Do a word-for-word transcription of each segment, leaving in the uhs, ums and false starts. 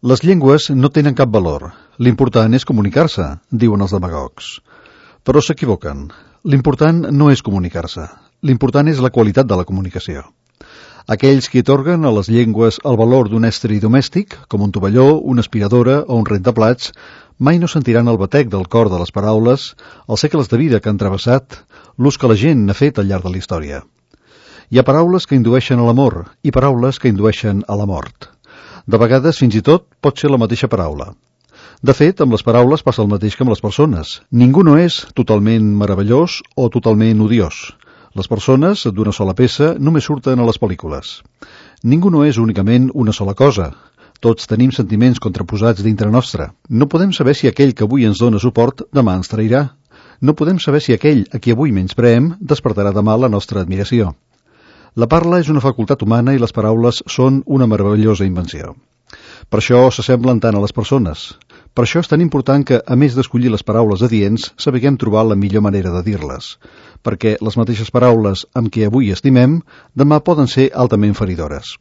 Les llengües no tenen cap valor. L'important és comunicar-se, diuen els demagogs. Però s'equivoquen. L'important no és comunicar-se. L'important és la qualitat de la comunicació. Aquells que atorguen a les llengües el valor d'un estri domèstic, com un tovalló, una aspiradora o un rentaplats, mai no sentiran el batec del cor de les paraules, els segles de vida que han travessat, l'ús que la gent n'ha fet al llarg de la història. Hi ha paraules que indueixen a l'amor i paraules que indueixen a la mort. De vegades, fins i tot, pot ser la mateixa paraula. De fet, amb les paraules passa el mateix que amb les persones. Ningú no és totalment meravellós o totalment odiós. Les persones, d'una sola peça, només surten a les pel·lícules. Ningú no és únicament una sola cosa. Tots tenim sentiments contraposats dintre nostre. No podem saber si aquell que avui ens dona suport demà ens trairà. No podem saber si aquell a qui avui menyspreem despertarà demà la nostra admiració. La parla és una facultat humana i les paraules són una meravellosa invenció. Per això s'assemblen tant a les persones. Per això és tan important que, a més d'escollir les paraules adients, sapiguem trobar la millor manera de dir-les. Perquè les mateixes paraules amb què avui estimem, demà poden ser altament feridores.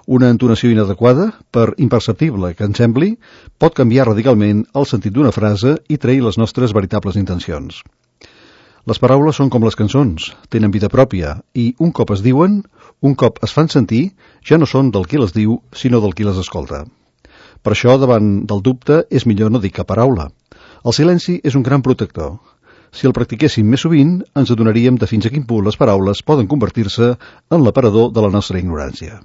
Una entonació inadequada, per imperceptible que ens sembli, pot canviar radicalment el sentit d'una frase i trair les nostres veritables intencions. Les paraules són com les cançons, tenen vida pròpia i, un cop es diuen, un cop es fan sentir, ja no són del qui les diu, sinó del qui les escolta. Per això, davant del dubte, és millor no dir cap paraula. El silenci és un gran protector. Si el practiquéssim més sovint, ens adonaríem de fins a quin punt les paraules poden convertir-se en l'aparador de la nostra ignorància.